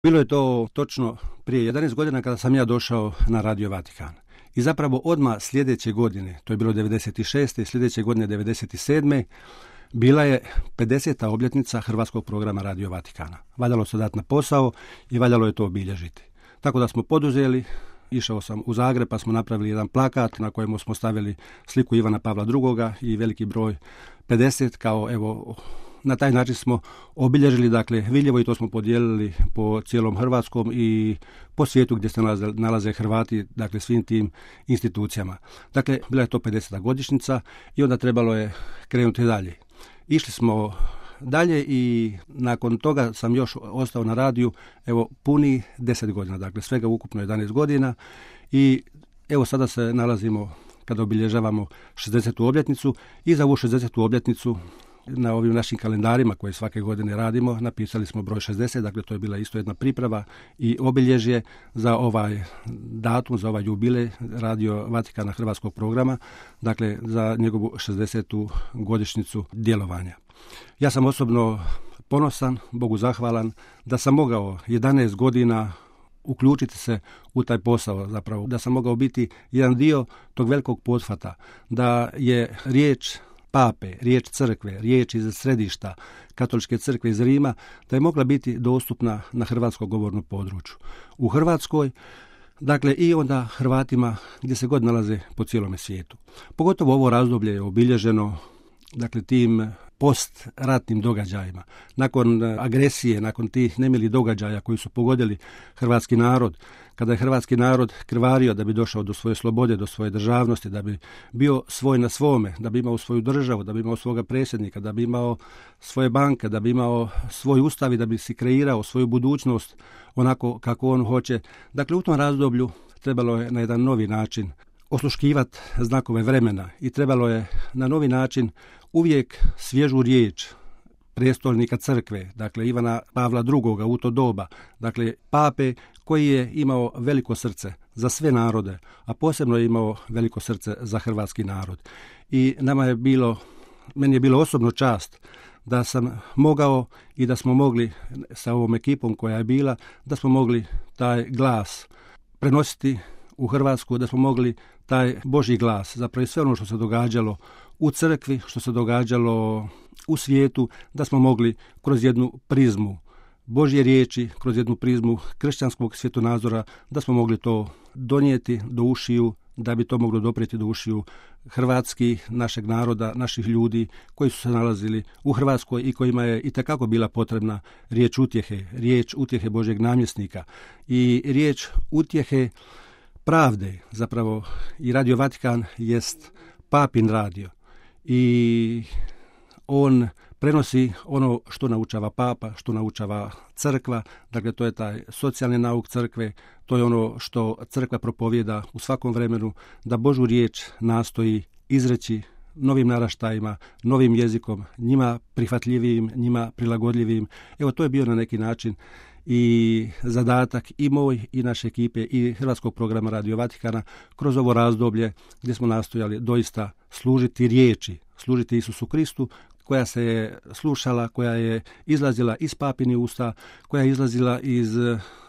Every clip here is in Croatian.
Bilo je to točno prije 11 godina kada sam ja došao na Radio Vatikan. I zapravo odmah sljedeće godine, to je bilo 96. i sljedeće godine 97. bila je 50. obljetnica hrvatskog programa Radio Vatikana. Valjalo se dati na posao i valjalo je to obilježiti. Tako da smo poduzeli, išao sam u Zagreb pa smo napravili jedan plakat na kojemu smo stavili sliku Ivana Pavla II. I veliki broj 50 kao evo. Na taj način smo obilježili, dakle, Viljevo i to smo podijelili po cijelom Hrvatskom i po svijetu gdje se nalaze Hrvati, dakle, svim tim institucijama. Dakle, bila je to 50. godišnjica i onda trebalo je krenuti dalje. Išli smo dalje i nakon toga sam još ostao na radiju, evo, puni 10 godina, dakle, svega ukupno 11 godina i evo sada se nalazimo kada obilježavamo 60. obljetnicu i za ovu 60. obljetnicu na ovim našim kalendarima koje svake godine radimo, napisali smo broj 60, dakle to je bila isto jedna priprava i obilježje za ovaj datum, za ovaj jubilej Radio Vatikana hrvatskog programa, dakle za njegovu 60. godišnjicu djelovanja. Ja sam osobno ponosan, Bogu zahvalan, da sam mogao 11 godina uključiti se u taj posao, zapravo da sam mogao biti jedan dio tog velikog pothvata, da je riječ Pape, riječ crkve, riječ iz središta Katoličke crkve iz Rima, da je mogla biti dostupna na hrvatskom govornom području. U Hrvatskoj, dakle i onda Hrvatima gdje se god nalaze po cijelome svijetu. Pogotovo ovo razdoblje je obilježeno, dakle, tim postratnim događajima. Nakon agresije, nakon tih nemilih događaja koji su pogodili hrvatski narod, kada je hrvatski narod krvario da bi došao do svoje slobode, do svoje državnosti, da bi bio svoj na svome, da bi imao svoju državu, da bi imao svoga predsjednika, da bi imao svoje banke, da bi imao svoj ustav i da bi si kreirao svoju budućnost onako kako on hoće. Dakle, u tom razdoblju trebalo je na jedan novi način osluškivati znakove vremena i trebalo je na novi način uvijek svježu riječ prestolnika crkve, dakle Ivana Pavla II. U to doba, dakle pape koji je imao veliko srce za sve narode, a posebno je imao veliko srce za hrvatski narod. I meni je bilo osobno čast da sam mogao i da smo mogli sa ovom ekipom koja je bila, da smo mogli taj glas prenositi u Hrvatsku, da smo mogli taj Božji glas, zapravo sve ono što se događalo u crkvi, što se događalo u svijetu, da smo mogli kroz jednu prizmu Božje riječi, kroz jednu prizmu kršćanskog svjetonazora, da smo mogli to donijeti do ušiju, da bi to moglo doprijeti do ušiju hrvatskih, našeg naroda, naših ljudi koji su se nalazili u Hrvatskoj i kojima je itekako bila potrebna riječ utjehe Božjeg namjesnika i riječ utjehe pravde. Zapravo i Radio Vatikan jest papin radio i on prenosi ono što naučava papa, što naučava crkva, dakle to je taj socijalni nauk crkve, to je ono što crkva propovijeda u svakom vremenu, da Božju riječ nastoji izreći novim naraštajima, novim jezikom, njima prihvatljivijim, njima prilagodljivijim. Evo, to je bio na neki način i zadatak i moj i naše ekipe i hrvatskog programa Radio Vatikana kroz ovo razdoblje gdje smo nastojali doista služiti riječi, služiti Isusu Kristu, koja se je slušala, koja je izlazila iz papini usta, koja je izlazila iz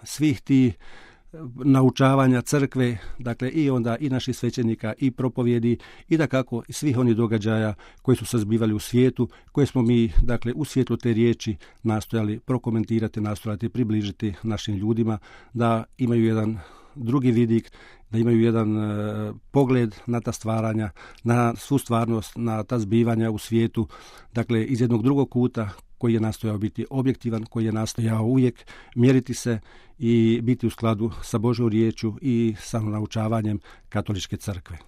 svih tih naučavanja crkve, dakle i onda i naših svećenika i propovjedi i dakako i svih onih događaja koji su se zbivali u svijetu, koje smo mi, dakle, u svijetlu te riječi nastojali prokomentirati, nastojati približiti našim ljudima, da imaju jedan drugi vidik, da imaju jedan pogled na ta stvaranja, na svu stvarnost, na ta zbivanja u svijetu, dakle iz jednog drugog kuta koji je nastojao biti objektivan, koji je nastojao uvijek mjeriti se i biti u skladu sa Božjom riječju i sa naučavanjem Katoličke crkve.